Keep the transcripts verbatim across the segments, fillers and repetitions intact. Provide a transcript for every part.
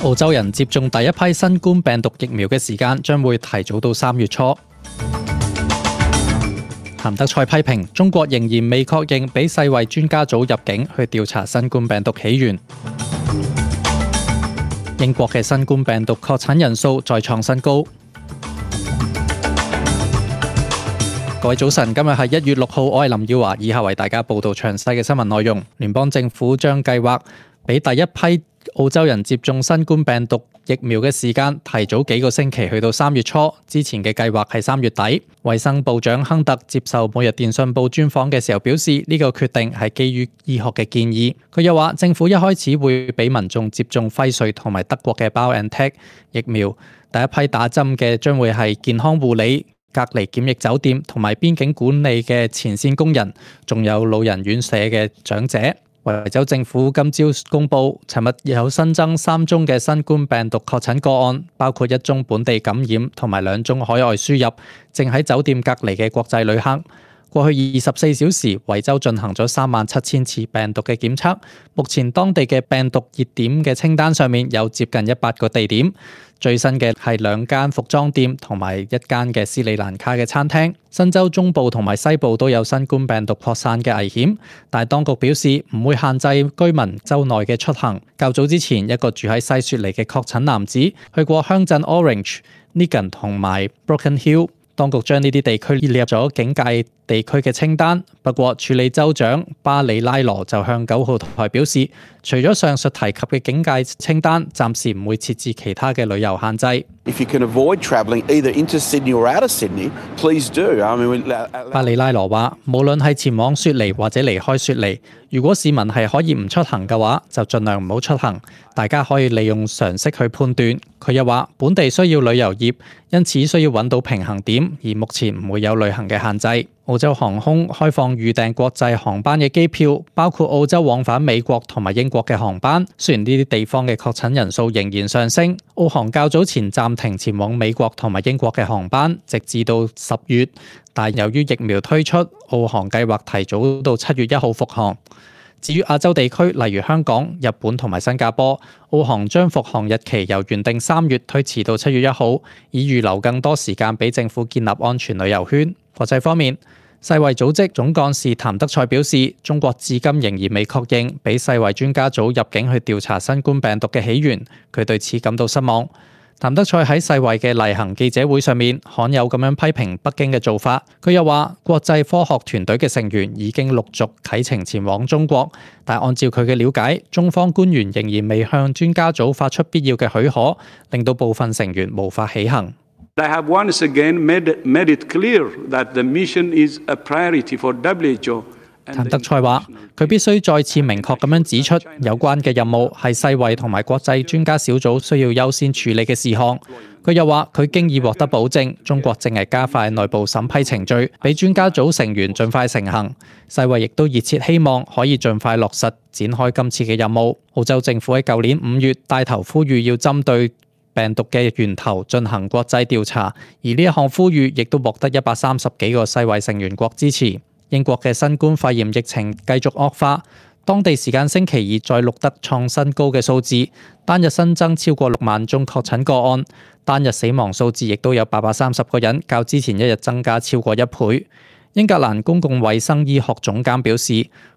澳洲人接種第一批新冠病毒疫苗嘅時間將會提早到三月初。譚德塞批評中國仍然未確認俾世衛專家組入境去調查新冠病毒起源。英國嘅新冠病毒確診人數再創新高。各位早晨，今日係一月六號，我係林耀華，以下為大家報道詳細嘅新聞內容。聯邦政府將計劃俾第一批澳洲人接種新冠病毒疫苗嘅時間提早幾個星期，去到三月初。之前嘅計劃係三月底。衛生部長亨特接受每日電訊報專訪嘅時候表示，呢個決定係基於醫學嘅建議。佢又話，政府一開始會俾民眾接種輝瑞同埋德國嘅 BioNTech 疫苗，第一批打針嘅將會係健康護理、隔離檢疫酒店同埋邊境管理嘅前線工人，仲有老人院舍嘅長者。維州政府今朝公布，尋日有新增三宗嘅新冠病毒確診個案，包括一宗本地感染同埋兩宗海外輸入，正喺酒店隔離嘅國際旅客。過去二十四小時，維州進行咗三萬七千次病毒嘅檢測。目前當地嘅病毒熱點嘅清單上面有接近一百個地點。最新嘅係兩間服裝店同埋一間嘅斯里蘭卡嘅餐廳。新州中部同埋西部都有新冠病毒擴散嘅危險，但係當局表示唔會限制居民州內嘅出行。較早之前，一個住喺西雪梨嘅確診男子去過鄉鎮 Orange、Nigan 同埋 Broken Hill。當局將呢啲地區列入咗警戒地區嘅清單，不過處理州長巴里拉羅就向九號台表示，除咗上述提及嘅警戒清單，暫時唔會設置其他嘅旅遊限制。If you can avoid travelling either into Sydney or out of Sydney, please do. I mean, 巴里拉羅話，無論係前往雪梨或者離開雪梨，如果市民係可以唔出行嘅話，就盡量唔好出行。大家可以利用常識去判斷。佢又話，本地需要旅遊業，因此需要揾到平衡點，而目前唔會有旅行嘅限制。澳洲航空開放預訂國際航班嘅機票，包括澳洲往返美國同埋英國嘅航班。雖然呢啲地方嘅確診人數仍然上升，澳航較早前暫停前往美國同埋英國嘅航班，直至到十月。但由於疫苗推出，澳航計劃提早到七月一號復航。至於亞洲地區，例如香港、日本同埋新加坡，澳航將復航日期由原定三月推遲到七月一號，以預留更多時間俾政府建立安全旅遊圈。國際方面，世衛組織總幹事譚德塞表示，中國至今仍然未確認俾世衛專家組入境去調查新冠病毒嘅起源，佢對此感到失望。譚德塞喺世衛嘅例行記者會上面罕有咁樣批評北京嘅做法。佢又話，國際科學團隊嘅成員已經陸續啟程前往中國，但按照佢嘅了解，中方官員仍然未向專家組發出必要嘅許可，令到部分成員無法起行。I have once again made, made it clear that the mission is a priority for W H O。譚德塞話，佢必須再次明確咁樣指出，有關嘅任務係世衛同埋國際專家小組需要優先處理嘅事項。佢又話，佢經已獲得保證，中國正係加快內部審批程序，俾專家組成員盡快成行。世衛亦都熱切希望可以盡快落實展開今次嘅任務。澳洲政府喺舊年五月帶頭呼籲要針對病毒嘅源頭進行國際調查，而呢一項呼籲亦都獲得一百三十幾個世衛成員國支持。英國嘅新冠肺炎疫情繼續惡化，當地時間星期二再錄得創新高嘅數字，單日新增超過六萬宗確診個案，單日死亡數字亦都有八百三十個人，較之前一日增加超過一倍。英格蘭公共衛生醫學總監表示，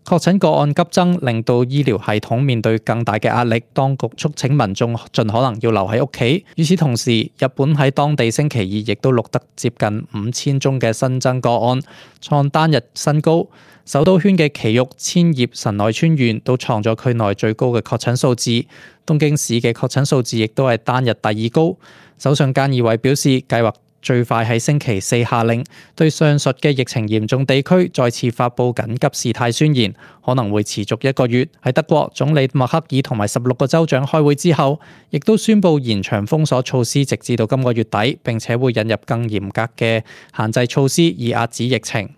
確診個案急增令到醫療系統面對更大嘅壓力，當局促請民眾盡可能要留喺屋企。與此同時，日本喺當地星期二亦都錄得接近五千宗嘅新增個案，創單日新高。首都圈嘅埼玉、千葉、神奈川縣都創咗區內最高嘅確診數字，東京市嘅確診數字亦都係單日第二高。首相菅義偉表示，計劃最快喺星期四下令，對上述嘅疫情嚴重地區再次發布緊急事態宣言，可能會持續一個月。喺德國，總理默克爾同埋十六個州長開會之後，亦都宣布延長封鎖措施直至到今個月底，並且會引入更嚴格嘅限制措施以壓止疫情。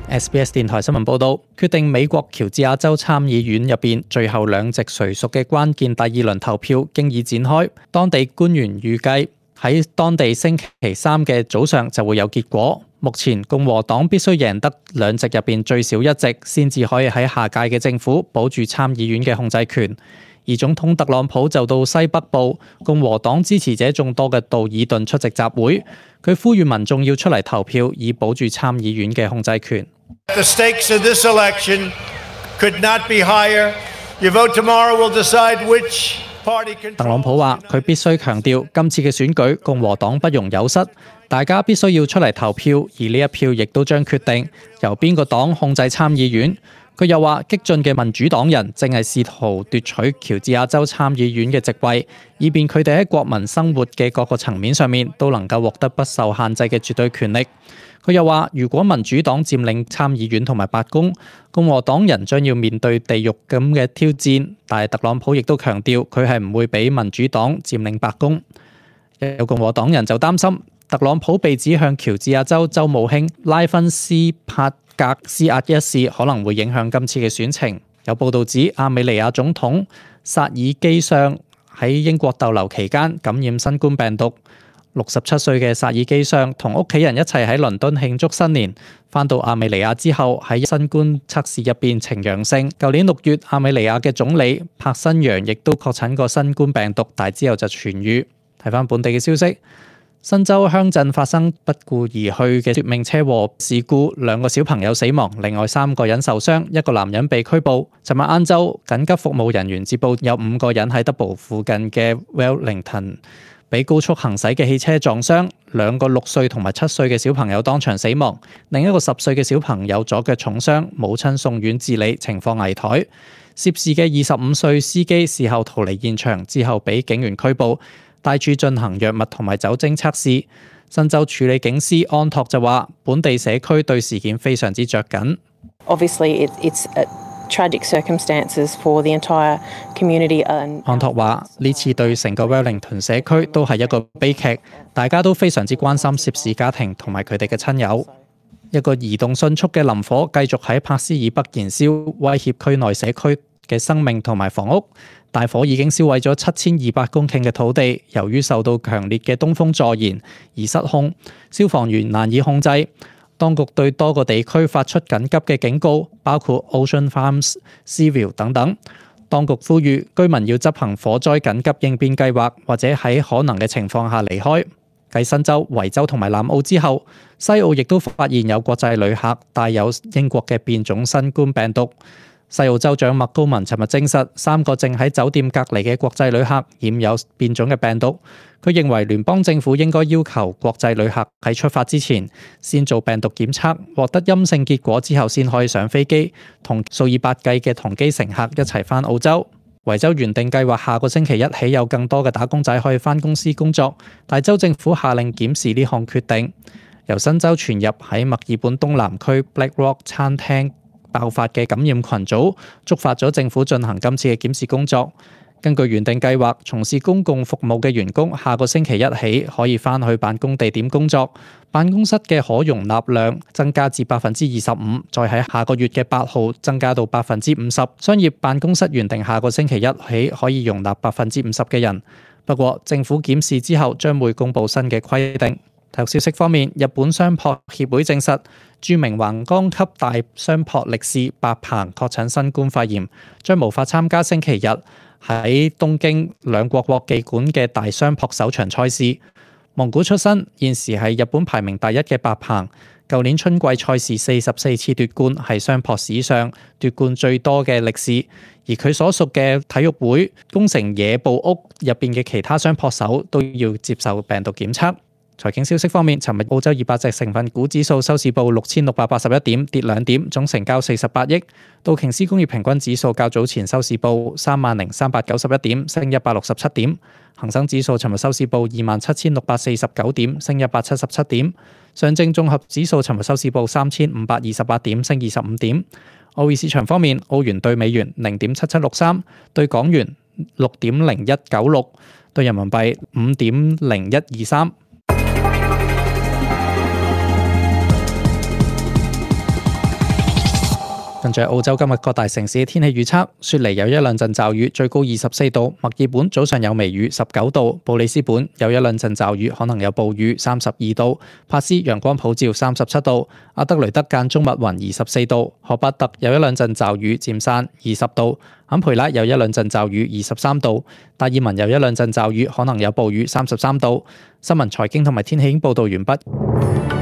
S B S 電台新聞報道，決定美國喬治亞州參議院入邊最後兩席誰屬嘅關鍵第二輪投票經已展開。當地官員預計喺當地星期三嘅早上就會有結果。目前共和黨必須贏得兩席入邊最少一席，先至可以喺下屆嘅政府保住參議院嘅控制權。而總統特朗普就到西北部共和黨支持者眾多嘅道爾頓出席集會，佢呼籲民眾要出嚟投票，以保住參議院嘅控制權。The stakes of this election could not be higher. Your vote tomorrow will decide which party controls. 特朗普話：佢必須強調今次嘅選舉共和黨不容有失，大家必須要出嚟投票，而呢一票亦都將決定由邊個黨控制參議院。佢又話：激進嘅民主黨人正係試圖奪取喬治亞州參議院嘅席位，以便佢哋喺國民生活嘅各個層面上面都能夠獲得不受限制嘅絕對權力。佢又話：如果民主黨佔領參議院同埋白宮，共和黨人將要面對地獄咁嘅挑戰。但係特朗普亦都強調，佢係唔會俾民主黨佔領白宮。有共和黨人就擔心，特朗普被指向喬治亞州州務卿拉芬斯帕格施壓一事，可能會影響今次嘅選情。有報道指，亞美尼亞總統薩爾基相喺英國逗留期間感染新冠病毒。六十七歲嘅薩爾基相同屋企人一齊喺倫敦慶祝新年，返到亞美尼亞之後喺新冠測試入邊呈陽性。舊年六月，亞美尼亞嘅總理帕辛揚亦都確診過新冠病毒，但之後就痊癒。睇返本地嘅消息，新州鄉鎮發生不顧而去嘅奪命車禍事故，兩個小朋友死亡，另外三個人受傷，一個男人被拘捕。尋日晏晝，緊急服務人員接報有五個人喺德堡附近嘅 Wellington俾高速行駛嘅汽車撞傷，兩個六歲同埋七歲嘅小朋友當場死亡，另一個十歲嘅小朋友左腳重傷，母親送院治理，情況危殆。涉事嘅二十五歲司機事後逃離現場，之後俾警員拘捕，帶住進行藥物同埋酒精測試。新州處理警司安托就話，本地社區對事件非常之着緊。Obviously, it, it's a tragic circumstances for the entire community. 安托話：呢次對成個 Wellington 社區都係一個悲劇，大家都非常之關心涉事家庭同埋佢哋嘅親友。一個移動迅速嘅林火繼續喺柏斯以北燃燒，威脅區內社區嘅生命同埋房屋。大火已經燒毀咗七千二百公頃嘅土地，由於受到強烈嘅東風助燃而失控，消防員難以控制。當局對多個地區發出緊急嘅警告，包括 Ocean Farms、Seaville 等等。當局呼籲居民要執行火災緊急應變計劃，或者喺可能嘅情況下離開。繼新州、維州同埋南澳之後，西澳亦都發現有國際旅客帶有英國嘅變種新冠病毒。西澳州長麥高文尋日證實，三個正喺酒店隔離嘅國際旅客染有變種嘅病毒。佢認為聯邦政府應該要求國際旅客喺出發之前先做病毒檢測，獲得陰性結果之後先可以上飛機，同數以百計嘅同機乘客一齊返澳洲。維州原定計劃下個星期一起有更多嘅打工仔可以返公司工作，但州政府下令檢視呢項決定。由新州傳入喺墨爾本東南區 Black Rock 餐廳爆發嘅感染群組，觸發咗政府進行今次嘅檢視工作。根據原定計劃，從事公共服務嘅員工下個星期一起可以返去辦公地點工作，辦公室嘅可容納量增加至百分之二十五，再喺下個月嘅八號增加到百分之五十。商業辦公室原定下個星期一起可以容納百分之五十嘅人，不過政府檢視之後將會公布新嘅規定。體育消息方面，日本相撲協會證實，著名橫綱級大相撲力士白鵬確診新冠肺炎，將無法參加星期日喺東京兩國國技館嘅大相撲首場賽事。蒙古出身，現時係日本排名第一嘅白鵬，舊年春季賽事四十四次奪冠，係相撲史上奪冠最多嘅力士。而佢所屬嘅體育會宮城野部屋入邊嘅其他相撲手都要接受病毒檢測。財經消息方面，尋日澳洲二百隻成分股指數收市報六千六百八十一點，跌兩點，總成交四十八億。道瓊斯工業平均指數較早前收市報三萬零三百九十一點，升一百六十七點。恒生指數尋日收市報二萬七千六百四十九點，升一百七十七點。上證綜合指數尋日收市報三千五百二十八點，升二十五點。外匯市場方面，澳元對美元零點七七六三，對港元六點零一九六，對人民幣五點零一二三。跟住澳洲今日各大城市嘅天氣預測，雪梨有一兩陣驟雨，最高二十四度；墨爾本早上有微雨，十九度；布里斯本有一兩陣驟雨，可能有暴雨，三十二度；帕斯陽光普照，三十七度；阿德雷德間中密雲，二十四度；荷伯特有一兩陣驟雨，漸散，二十度；坎培拉有一兩陣驟雨，二十三度；達爾文有一兩陣驟雨，可能有暴雨，三十三度。新聞財經同埋天氣已經報導完畢。